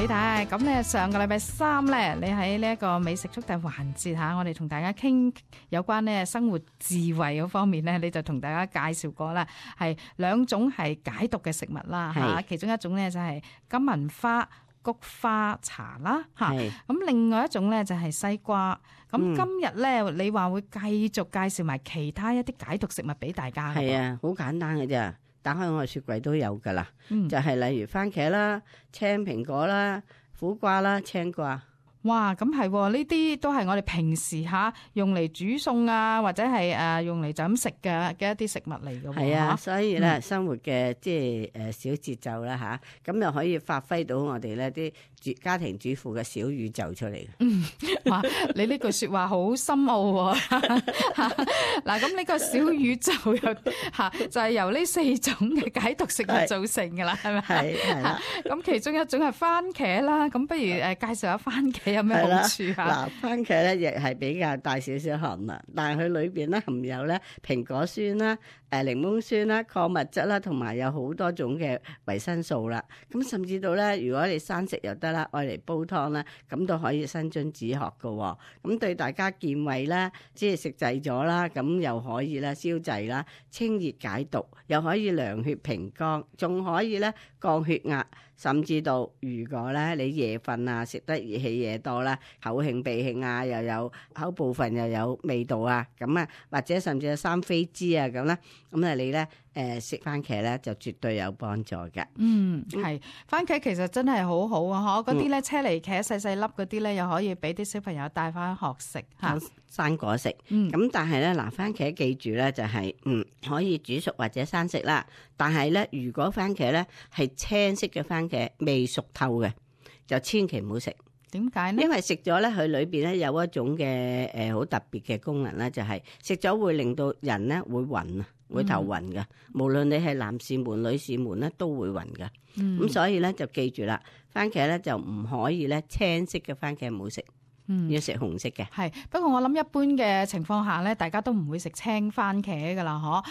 李太，咁咧上個禮拜三咧，你喺呢一個美食速遞環節嚇，我哋同大家傾有關咧生活智慧嗰方面咧，你就同大家介紹過啦，係兩種係解毒嘅食物啦嚇，其中一種咧就係金銀花菊花茶啦嚇，咁另外一種咧就係西瓜。咁今日咧，你話會繼續介紹埋其他一啲解毒食物俾大家。係啊，好簡單嘅啫，打開我嘅雪櫃都有噶啦。就係例如番茄啦、青蘋果啦、苦瓜啦、青瓜。哇，咁係呢啲都係我哋平時用嚟煮餸啊，或者係用嚟就咁食嘅一啲食物嚟嘅。係啊，所以咧生活嘅即係小節奏啦吓，咁又可以發揮到我哋咧啲家庭主婦嘅小宇宙出嚟。哇，你呢句說話好深奧喎。嗱，咁呢個小宇宙又就係由呢四種嘅解毒食物造成噶啦，係咪？係啦。咁其中一種係番茄啦，咁不如介紹下番茄有咩好處啊？嗱，番茄咧亦係比較大少少含量，但係佢裏邊咧含有咧蘋果酸啦、檸檬酸啦、礦物質啦，同埋有好多種嘅維生素啦。咁甚至到咧，如果你生食又得啦，愛嚟煲湯啦，咁都可以生津止渴噶。咁對大家健胃啦，即係食滯咗啦，咁又可以啦消滯啦、清熱解毒，又可以涼血平肝，仲可以咧降血壓。甚至到如果咧你夜瞓啊，食得熱氣嘢多啦，口興鼻興啊，又有口部分又有味道啊，咁啊或者甚至有生痱滋啊咁啦，咁啊你咧食番茄咧就絕對有幫助嘅。係番茄其實真係好好啊，嗰啲咧車厘茄細細粒嗰啲咧，又可以俾啲小朋友帶翻學食嚇生果食。咁但係咧嗱，番茄記住咧就係可以煮熟或者生食啦。但係咧如果番茄咧係青色嘅番茄未熟透嘅，就千祈唔好食。點解呢？因為食咗咧，佢裏邊咧有一種嘅好特別嘅功能咧，就係食咗會令到人咧會暈啊，會頭暈嘅。無論你係男士們、女士們咧都會暈嘅。咁所以咧就記住啦，番茄咧就唔可以咧青色嘅番茄唔好食。要食紅色嘅。係，不過我諗一般嘅情況下咧，大家都唔會食青番茄噶啦，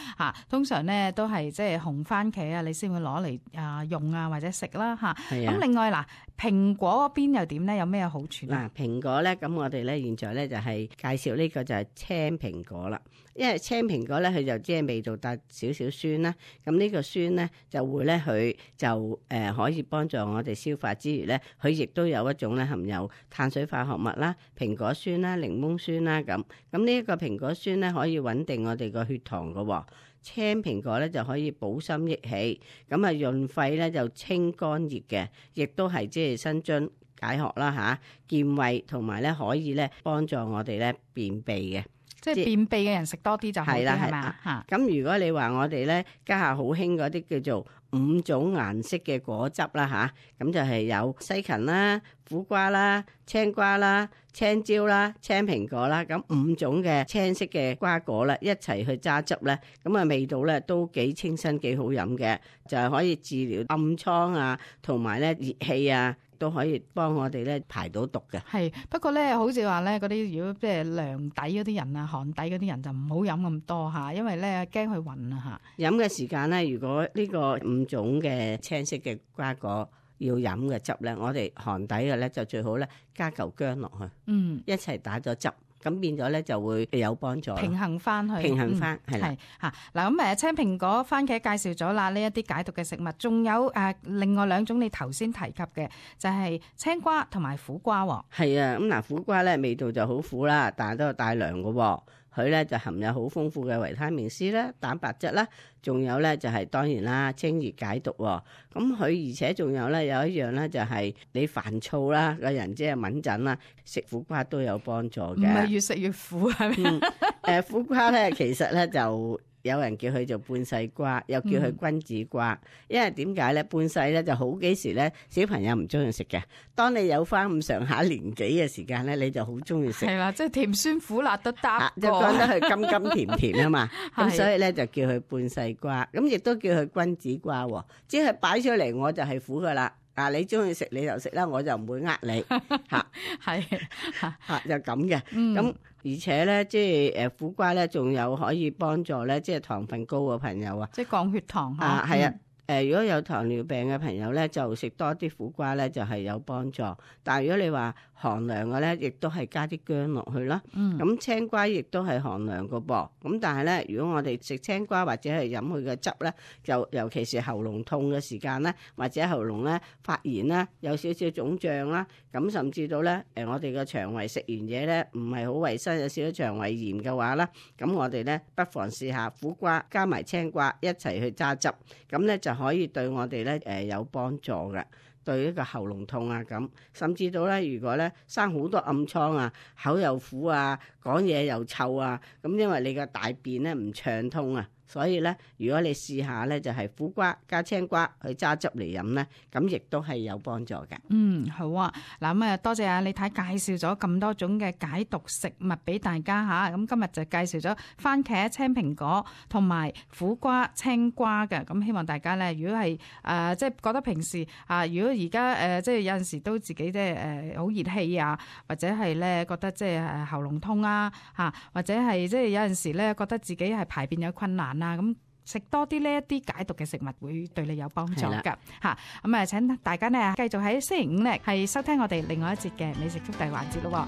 通常咧都係即係紅番茄啊，你先會攞嚟用啊或者食啦嚇。咁另外嗱，蘋果嗰邊又點咧？有咩好處？嗱，蘋果咧，咁我哋咧現在咧就係介紹呢個就係青蘋果啦。因為青蘋果咧，佢就即係味道帶少少酸啦。咁呢個酸咧就會咧佢就可以幫助我哋消化之餘咧，佢亦都有一種咧含有碳水化合物啦、蘋果酸啦、檸檬酸啦咁。咁呢一個蘋果酸咧可以穩定我哋個血糖噶。青蘋果咧就可以補心益氣，咁啊潤肺咧就清肝熱嘅，亦都係即係生津解渴啦吓，健胃同埋咧可以咧幫助我哋咧便秘嘅。即係便秘嘅人食多啲就好啲，係咪啊？咁如果你話我哋咧家下好興嗰啲叫做5種顏色嘅果汁啦吓，咁就係有西芹啦、苦瓜啦、青瓜啦、青椒啦、青蘋果啦，咁5種嘅青色嘅瓜果啦，一齊去揸汁咧，咁啊味道咧都幾清新幾好飲嘅，就係可以治療暗瘡啊，同埋咧熱氣啊。都可以幫我哋咧排到毒嘅。係，不過咧，好似話咧，嗰啲如果即係涼底嗰啲人啊、寒底嗰啲人就唔好飲咁多嚇，因為咧驚佢暈啊嚇。飲嘅時間咧，如果呢個5種嘅青色嘅瓜果要飲嘅汁咧，我哋寒底嘅咧就最好咧加嚿薑落去，一齊打咗汁。咁變咗咧就會有幫助，平衡翻去，平衡翻係啦。嚇嗱咁青蘋果、番茄介紹咗啦，呢一啲解毒嘅食物，仲有另外2種你頭先提及嘅就係青瓜同埋苦瓜喎。係啊，咁嗱苦瓜咧味道就好苦啦，但係都係帶涼嘅喎。佢咧就含有好豐富嘅維他命 C 啦、蛋白質啦，仲有咧就係當然啦清熱解毒喎。咁佢而且仲有咧有一樣咧就係你煩躁啦個人即係敏感啦，食苦瓜都有幫助嘅。唔係越食越苦係咪？苦瓜咧其實咧就有人叫佢做半世瓜，又叫佢君子瓜。因為點解咧？半世咧就好幾時咧小朋友唔中意食嘅，當你有翻咁上下年紀嘅時間咧，你就好中意食。係啦，即係甜酸苦辣都得過，就覺得佢甘甘甜甜啊嘛。咁所以咧就叫佢半世瓜，咁亦都叫佢君子瓜。即係擺出嚟我就係苦噶啦。你中意食你就食啦，我就唔會呃你嚇。係就咁嘅。咁而且咧，即係苦瓜咧，仲有可以幫助咧，即係糖分高嘅朋友啊，即係降血糖係啊。如果有糖尿病嘅朋友咧，就食多啲苦瓜咧，就係有幫助。但係如果你話寒涼嘅咧，亦都係加啲薑落去啦。咁青瓜亦都係寒涼個噃。咁但係咧，如果我哋食青瓜或者係飲佢嘅汁咧，就尤其是喉嚨痛嘅時間咧，或者喉嚨咧發炎啦，有少少腫脹啦，咁甚至到咧我哋嘅腸胃食完嘢咧唔係好衞生，有少少腸胃炎嘅話啦，咁我哋咧不妨試下苦瓜加埋青瓜一齊去揸汁，咁咧就可以對我哋咧有幫助嘅。對一個喉嚨痛啊咁，甚至到咧，如果咧生好多暗瘡啊，口又苦啊，講嘢又臭啊，咁因為你個大便咧唔暢通啊，所以咧，如果你試下咧，就係苦瓜加青瓜去揸汁嚟飲咧，咁亦都係有幫助嘅。好啊，嗱咁啊，多謝阿李太介紹咗咁多種嘅解毒食物俾大家吓，咁今日就介紹咗番茄、青蘋果同埋苦瓜、青瓜嘅，咁希望大家咧，如果係即係覺得平時如果而家即係有陣時都自己即係好熱氣啊，或者係咧覺得即係喉嚨痛啊或者係即係有陣時咧覺得自己係排便有困難啊，咁食多啲呢一啲解毒嘅食物會對你有幫助㗎嚇。咁請大家呢繼續喺星期五咧係收聽我哋另外一節嘅美食速遞環節咯。